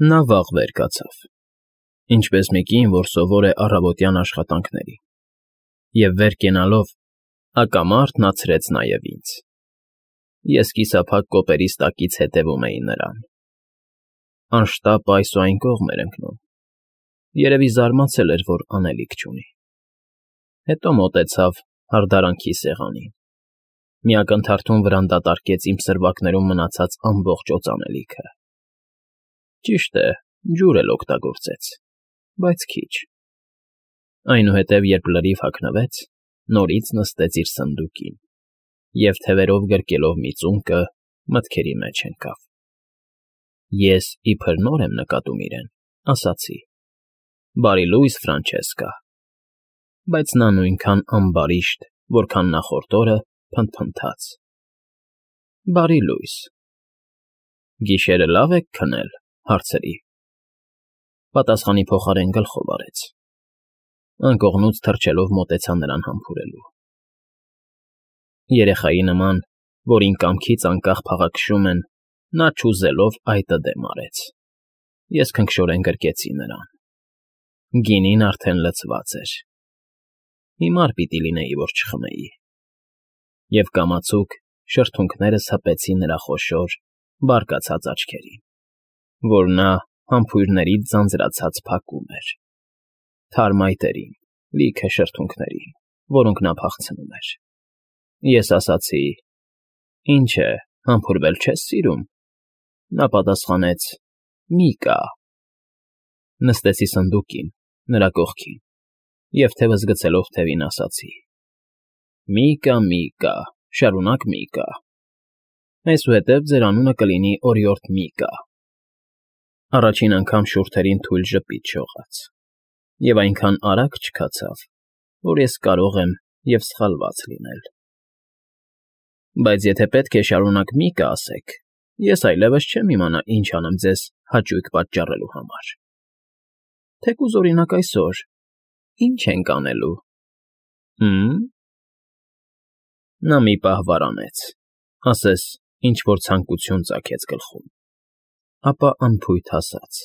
Նա վաղ վեր կացավ, ինչպես մի կին, որ սովոր է առավոտյան աշխատանքներին, և վեր կենալով հակամարտ նա ցրեց նաև ինձ. ես կիսափակ կոպերիս տակից հետևում էի նրան. անշտապ այս ու այն կողմ էր ընկնում, երևի զարմացել էր, որ անելիք չունի, հետո մոտեցավ հարդարանքի սեղանին, մի ակնթարթում վրան դատարկեց իմ սրվակներում մնացած ամբողջ օծանելիքը, ճիշտ է, ջուր էլ օգտագործեց, բայց քիչ, այնուհետև երբ լրիվ հագնվեց, նորից նստեց իր սնդուկին և թևերով գրկելով մի ծունկը մտքերի մեջ ընկավ, ես իբր նոր եմ նկատում իրեն, ասացի. բարի լույս, Ֆրանչեսկա, բայց նա նույնքան ամբարիշտ, որքան նախորդ օրը փնթփնթաց. բարի լույս, գիշերը լավ եք քնել, հարցրի, պատասխանի փոխարեն գլխով արեց, անկողնուց թռչելով մոտեցա նրան համբուրելու, երեխայի նման, որին կամքից անկախ փաղաքշում են, նա չուզելով այտը դեմ արեց, ես քնքշորեն գրկեցի նրան, գինին արդեն լցված էր, հիմար պիտի լինեի, որ չխմեի, և կամացուկ շրթունքներս հպեցի նրա խոշոր, բարկացած աչքերին, որ նա համբույրներից ձանձրացած փակում էր, թարմ այտերին, լիքը շրթունքներին, որոնք նա փախցնում էր, ես ասացի. ինչ է, համբուրվել չես սիրում, նա պատասխանեց. մի կա, նստեցի սնդուկին, նրա կողքին, և թևս գցելով թևին ասացի. մի կա, շարունակ մի կա, այսուհետև ձեր անունը կլինի օրիորդ Միկա, առաջին անգամ շուրթերին թույլ ժպիտ շողաց, և այնքան արագ չքացավ, որ ես կարող եմ և սխալված լինել, բայց եթե պետք է շարունակ Միկա ասեք, ես այլևս չեմ իմանա ինչ անեմ ձեզ հաճույք պատճառելու համար, թեկուզ օրինակ այսօր, ի՞նչ ենք անելու, նա մի պահ վարանեց, ասես ինչ֊որ ցանկություն ծագեց գլխում, ապա անփույթ ասաց.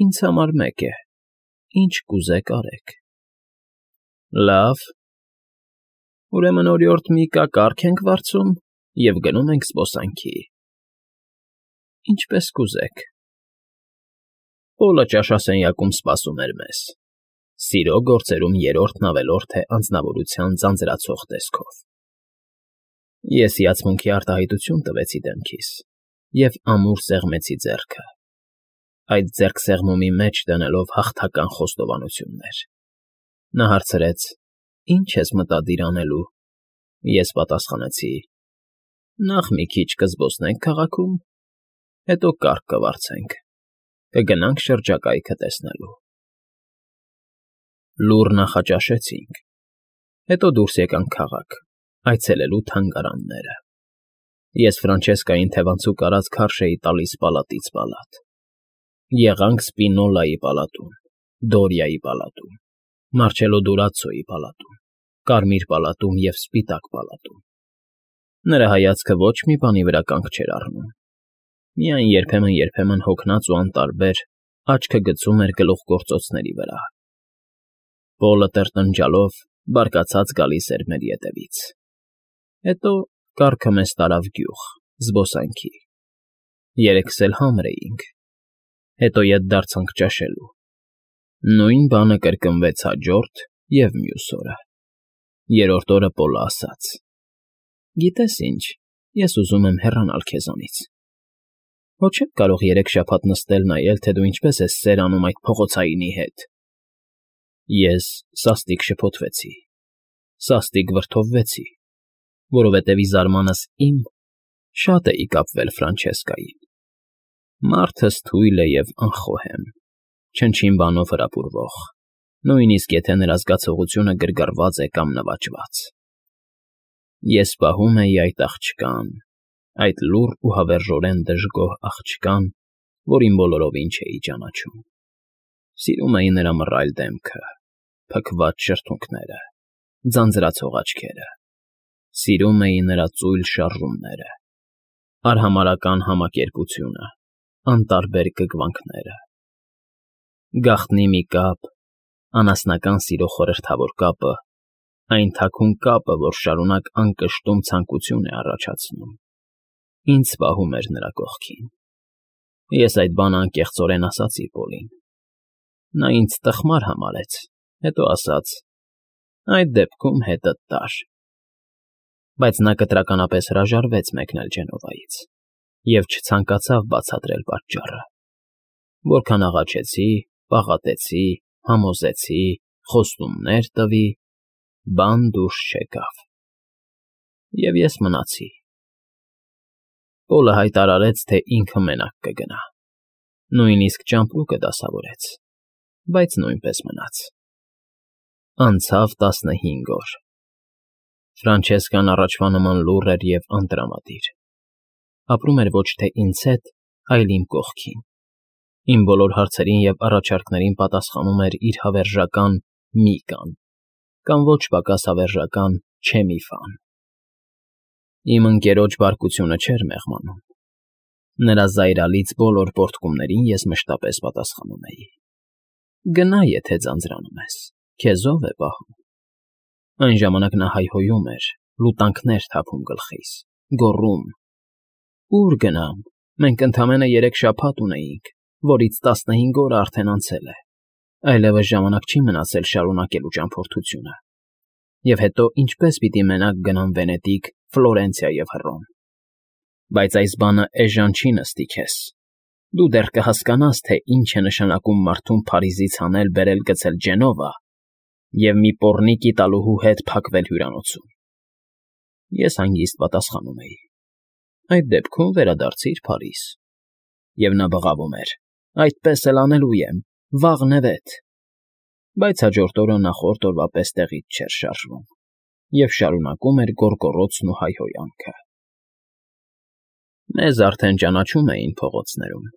ինձ համար մեկ է, ինչ կուզեք արեք, լավ, ուրեմն օրիորդ Միկա կառք ենք վարձում և գնում ենք զբոսանքի, ինչպես կուզեք, Պոլը ճաշասենյակում սպասում էր մեզ, սիրո գործերում երրորդն ավելորդ է անձնավորության ձանձրացող տեսքով, ես հիացմունքի արտահայտություն տվեցի դեմքիս և ամուր սեղմեցի ձեռքը, այդ ձեռքսեղմումի մեջ դնելով հաղթական խոստովանություններ, նա հարցրեց. ինչ ես մտադիր անելու, ես պատասխանեցի. նախ մի քիչ կզբոսնենք քաղաքում, հետո կառք կվարձենք, կգնանք շրջակայքը տեսնելու, լուռ նախաճաշեցինք, հետո դուրս եկանք քաղաք, այցելելու թանգարանները, ես Ֆրանչեսկային թևանցուկ արած քարշ էի տալիս պալատից պալատ, եղանք Սպինոլայի պալատում, Դորիայի պալատում, Մարչելո Դուրացոյի պալատում, Կարմիր պալատում և Սպիտակ պալատում, նրա հայացքը ոչ մի բանի վրա կանգ չէր առնում, միայն երբեմն հոգնած ու անտարբեր աչքը գցում էր գլուխգործոցների վրա, Պոլը տրտնջալով բարկացած գալիս էր մեր ետևից, հետո կառքը մեզ տարավ գյուղ, զբոսանքի, երեքս էլ համր էինք, հետո ետ դարձանք ճաշելու, նույն բանը կրկնվեց հաջորդ և մյուս օրը, երրորդ օրը Պոլը ասաց. գիտես ինչ, ես ուզում եմ հեռանալ քեզանից, հո չեմ կարող 3 շաբաթ նստել նայել, թե դու ինչպես ես սեր անում այդ փողոցայինի հետ, ես սաստիկ շփոթվեցի, սաստիկ վրդովվեցի, որովհետև ի զարմանս իմ շատ էի կապվել Ֆրանչեսկային, մարդս թույլ է և անխոհեմ, չնչին բանով հրապուրվող, նույնիսկ եթե նրա զգացողությունը գրգռված է կամ նվաճված, ես պահում էի այդ աղջկան, այդ լուռ ու հավերժորեն դժգոհ աղջկան, որին բոլորովին չէի ճանաչում, սիրում էի նրա մռայլ դեմքը, փքված շրթունքները, ձանձրացող աչքերը, սիրում էի նրա ծույլ շարժումները, արհամարհական համակերպությունը, անտարբեր կգվանքները։ Գաղտնի մի կապ, անասնական սիրո խորհրդավոր կապը, այն թաքուն կապը, որ շարունակ անկշտում ցանկություն է առաջացնում, ինձ պահում էր նրա կողքին։ Ես այդ բանը անկեղծորեն ասացի Պոլին։ Նա ինձ տխմար համարեց, հետո ասաց. այդ դեպքում հետդ տար։ Բայց նա կտրականապես հրաժարվեց մեկնել Ջենովայից և չցանկացավ բացատրել պատճառը։ Որքան աղաչեցի, պաղատեցի, համոզեցի, խոստումներ տվի, բան դուրս չեկավ։ Եվ ես մնացի։ Պոլը հայտարարեց, թե ինքը մենակ կգնա։ Նույնիսկ ճամպրուկը դասավորեց, բայց նույնպես մնաց։ Անցավ 15 օր։ Ֆրանչեսկան առաջվա նման լուռ էր և անտրամադիր։ Ապրում էր ոչ թե ինձ հետ, այլ իմ կողքին։ Իմ բոլոր հարցերին և առաջարկներին պատասխանում էր իր հավերժական «մի կան» կամ ոչ պակաս հավերժական «չէ մի ֆան»։ Իմ ընկերոջ բարկությունը չէր մեղմանում։ Նրա զայրալից բոլոր պոռթկումներին ես մշտապես պատասխանում էի. «Գնա, եթե ձանձրանում ես, քեզ ով է պահում»։ Այն ժամանակ նա հայհոյում էր, լուտանքներ թափում գլխիս, գոռում. «Ո՞ւր գնամ, մենք ընդամենը 3 շաբաթ ունեինք, որից 15 օրը արդեն անցել է, այլևս ժամանակ չի մնացել շարունակելու ճամփորդությունը։ Եվ հետո ինչպե՞ս պիտի մենակ գնամ Վենետիկ, Ֆլորենցիա և Հռոմ։ Բայց այս բանը էժան չի նստի քեզ։ Դու դեռ կհասկանաս, թե ինչ է նշանակում մարդուն Փարիզից հանել֊բերել գցել Ջենովա և մի պոռնիկի տալուհու հետ փակվել հյուրանոցում»։ Ես հանգիստ պատասխանում էի. «Այդ դեպքում վերադարձիր Փարիզ»։ Եվ նա բղավում էր. «Այդպես էլ անելու եմ, վաղն է վետ»։ Բայց հաջորդ օրը նախորդ օրվա պես տեղից չէր շարժվում և շարունակում էր գոռգոռոցն ու հայհոյանքը։ Մեզ արդեն ճանաչում էին փողոցներում,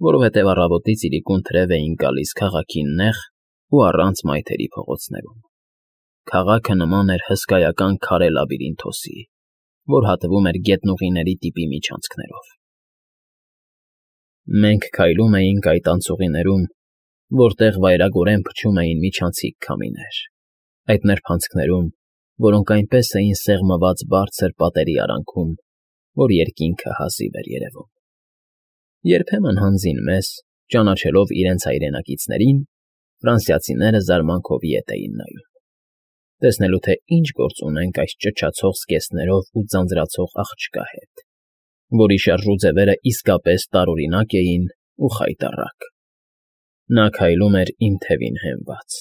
որովհետև առավոտից իրիկուն թրև էինք գալիս քաղաքին նեղ ու առանց մայթերի փողոցներում։ Քաղաքը նման էր հսկայական քարե լաբիրինթոսի, որ հատվում էր գետնուղիների տիպի միջանցքներով։ Մենք քայլում էինք այդ անցուղիներում, որտեղ վայրագորեն փչում էին միջանցիկ քամիներ, այդ նրբանցքներում, որոնք այնպես էին սեղմված բարձր պատերի արանքում, որ երկինքը հազիվ էր երևում։ Երբեմն հանձին մեզ, ճանաչելով իրենց հայրենակիցներին, ֆրանսիացիները զարմանքով ետ էին նայում, տեսնելու, թե ինչ գործ ունենք այս ճչացող զգեստներով ու ձանձրացող աղջկա հետ, որի շարժուձևերը իսկապես տարօրինակ էին ու խայտառակ։ Նա քայլում էր իմ թևին հենված,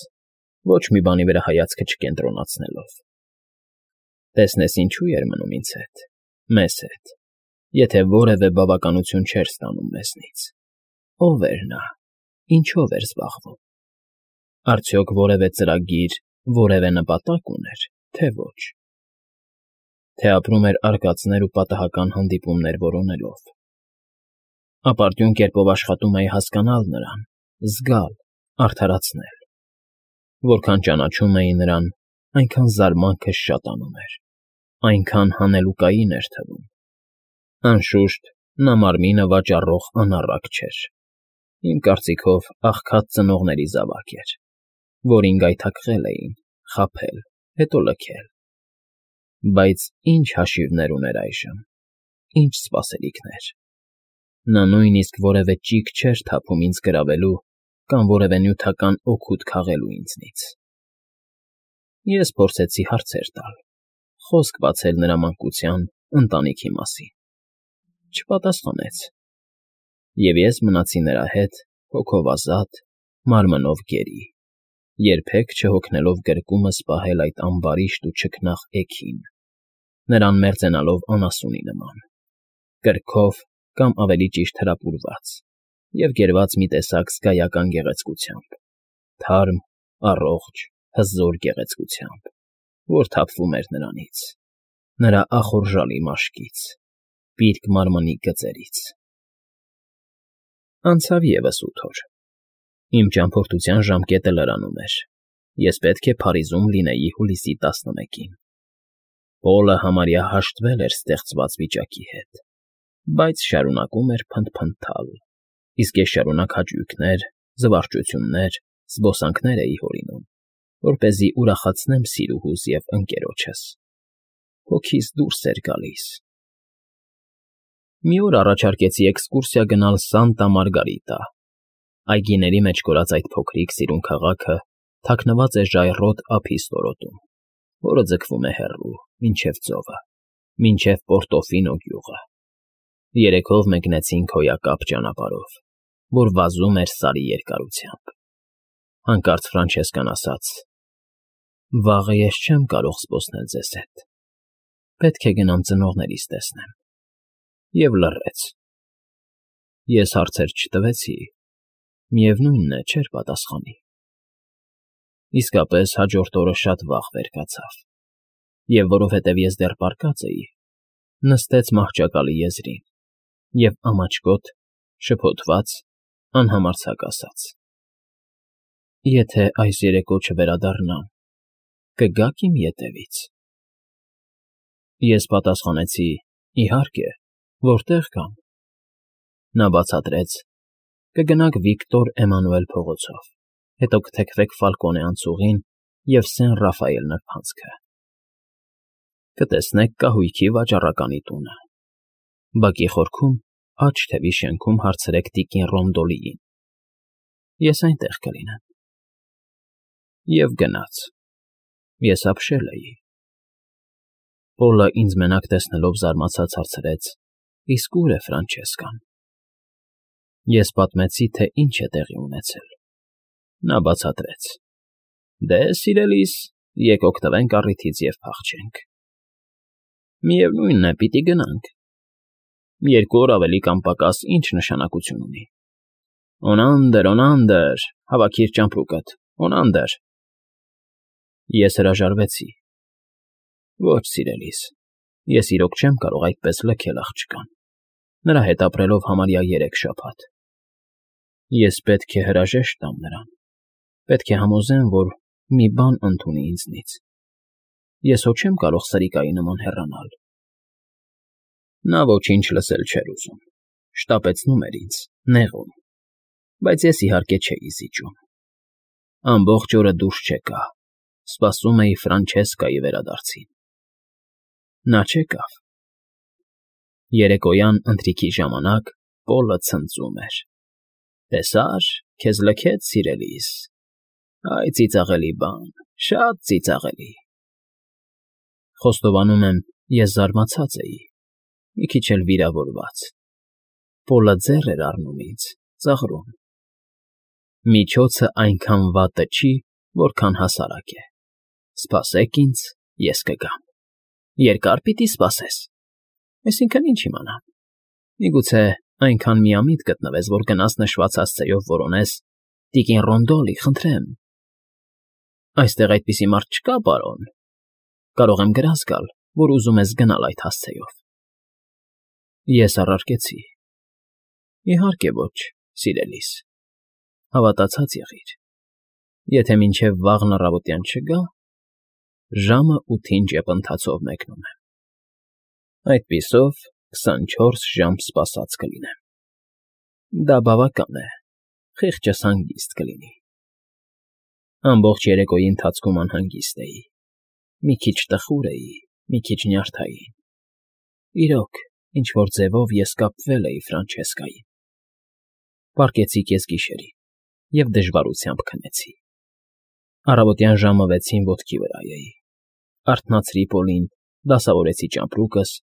ոչ մի բանի վրա հայացքը չկենտրոնացնելով։ Տեսնես ինչու էր մնում ինձ հետ, մեզ հետ, եթե որևէ բավականություն չէր ստանում մեզնից։ Ո՞վ էր նա, ինչով էր զբաղվում։ Արդյոք որևէ ծրագիր, որևէ նպատակ ուներ, թե ոչ։ Թե ապրում էր արկածներ ու պատահական հանդիպումներ որոնելով։ Ապարդյուն կերպով աշխատում էի հասկանալ նրան, զգալ, արդարացնել։ Որքան ճանաչում էի նրան, այնքան զարմանքս շատանում էր, այնքան հանելուկային էր թվում։ Անշուշտ, նա մարմինը վաճառող անառակ չէր։ Իմ կարծիքով աղքատ ծնողների զավակ էր, որին գայթակղել էին, խաբել, հետո լքել։ Բայց ինչ հաշիվներ ուներ այժմ, ինչ սպասելիքներ։ Նա նույնիսկ որևէ ճիգ չէր թափում ինձ գրավելու կամ որևէ նյութական օգուտ քաղելու ինձնից։ Ես փորձեցի հարցեր տալ, խոսք բացել նրա մանկության, ընտանիքի մասին։ Չպատասխանեց։ Եվ ես մնացի նրա հետ, հոգով ազատ, մարմնով գերի, երբեք չհոգնելով գրկումս պահել այդ ամբարիշտ ու չքնաղ էգին, նրան մերձենալով անասունի նման, կրքով կամ ավելի ճիշտ հրապուրված և գերված մի տեսակ զգայական գեղեցկությամբ, թարմ, առողջ, հզոր գեղեցկությամբ, որ թափվում էր նրանից, նրա ախորժալի մաշկից, պիրկ մարմնի գծերից։ Անցավ ևս 8 օր։ Իմ ճամփորդության ժամկետը լրանում էր։ Ես պետք է Փարիզում լինեի հուլիսի 11-ին։ Պոլը համարյա հաշտվել էր ստեղծված վիճակի հետ, բայց շարունակում էր փնթփնթալ, իսկ ես շարունակ հաճույքներ, զվարճություններ, զբոսանքներ էի հորինում, որպեսզի ուրախացնեմ սիրուհուս և ընկերոջս։ Հոգիս դուրս էր գալիս։ Մի օր առաջարկեցի էքսկուրսիա գնալ Սանտա Մարգարիտա։ Այգիների մեջ կորած այդ փոքրիկ սիրուն քաղաքը թաքնված է ժայռոտ ափի ստորոտում, որը ձգվում է հեռու, մինչև ծովը, մինչև Պորտոֆինո գյուղը։ Երեքով մեկնեցինք հոյակապ ճանապարհով, որ վազում էր Սարի երկարությամբ։ Հանկարծ Ֆրանչեսկան ասաց. «Վաղը ես չեմ կարող զբոսնել ձեզ հետ։ Պետք է գնամ ծնողներիս տեսնեմ»։ Եվ լռեց։ Ես հարցեր չտվեցի, միևնույնն է, չէր պատասխանի։ Իսկապես հաջորդ օրը շատ վաղ վեր կացավ, և որովհետև ես դեռ պառկած էի, նստեց մահճակալի եզրին և ամաչկոտ, շփոթված, անհամարձակ ասաց. «Եթե այս երեկո չվերադառնամ, կգա՞ք իմ ետևից»։ Ես պատասխանեցի. «Իհարկե, որտեղ կամ»։ Նա բացատրեց. «Կգնաք Վիկտոր Էմանուել փողոցով, հետո կթեքվեք Ֆալկոնե անցուղին և Սեն Ռաֆայել նրբանցքը։ Կտեսնեք կահույքի վաճառականի տունը։ Բակի խորքում, աջ թևի շենքում հարցրեք տիկին Ռոնդոլիին։ Ես այնտեղ կլինեմ»։ Եվ գնաց։ Ես ապշել էի։ Պոլը ինձ մենակ տեսնելով զարմացած հարցրեց. «Իսկ ո՞ւր է Ֆրանչեսկան»։ Ես պատմեցի, թե ինչ է տեղի ունեցել։ Նա բացատրեց. «Դե, սիրելիս, եկ օգտվենք առիթից և փախչենք»։ Միևնույնն է, պիտի գնանք։ 2 օր ավելի կամ պակաս ինչ նշանակություն ունի։ Օնանդր, հավաքիր ճամպրուկդ, օնանդր։ Ես հրաժարվեցի։ Ոչ, սիրելիս, ես իրոք չեմ կարող այդպես լքել աղջկան, նրա հետ ապրելով համարյա 3 շաբաթ։ Ես պետք է հրաժեշտ տամ նրան, պետք է համոզեմ, որ մի բան ընդունի ինձնից։ Ես հո չեմ կարող սրիկայի նման հեռանալ։ Նա ոչինչ լսել չէր ուզում, շտապեցնում էր ինձ, նեղում, բայց ես իհարկե չէի զիջում։ Ամբողջ օրը դուրս չեկա, սպասում էի Ֆրանչեսկայի վերադարձին։ Նա չեկավ։ Երեկոյան ընթրիքի ժամանակ Պոլը ցնծում էր. «Տեսա՞ր, քեզ լքեց, սիրելիս։ Այ ծիծաղելի բան, շատ ծիծաղելի»։ Խոստովանում եմ, ես զարմացած էի, մի քիչ էլ վիրավորված։ Պոլը ձեռ էր առնում ինձ, ծաղրում. «Միջոցը այնքան վատը չի, որքան հասարակ է։ Սպասեք ինձ, ես կգամ»։ Երկա՞ր պիտի սպասես։ Այսինքն՝ ինչ իմանամ։ Միգուցե այնքան միամիտ գտնվես, որ գնաս նշված հասցեով որոնես. «Տիկին Ռոնդոլի, խնդրեմ»։ Այստեղ այդպիսի մարդ չկա, պարոն։ Կարող եմ գրազ գալ, որ ուզում ես գնալ այդ հասցեով։ Ես առարկեցի. «Իհարկե ոչ, սիրելիս, հավատացած եղիր։ Եթե մինչև վաղն առավոտյան չգա, ժամը 8-ին ճեպընթացով մեկնում եմ։ Այդպիսով 24 ժամ սպասած կլինեմ։ Դա բավական է, խիղճս հանգիստ կլինի»։ Ամբողջ երեկոյի ընթացքում անհանգիստ էի։ Մի քիչ տխուր էի, մի քիչ նյարդային։ Իրոք, ինչ֊որ ձևով ես կապվել էի Ֆրանչեսկային։ Պառկեցի կեսգիշերին և դժվարությամբ քնեցի։ Առավոտյան ժամը 6-ին ոտքի վրա էի։ Արթնացրի Պոլին, դասավորեցի ճամպրուկս,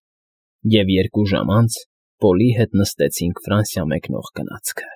և 2 ժամ անց Պոլի հետ նստեցինք Ֆրանսիա մեկնող գնացքը։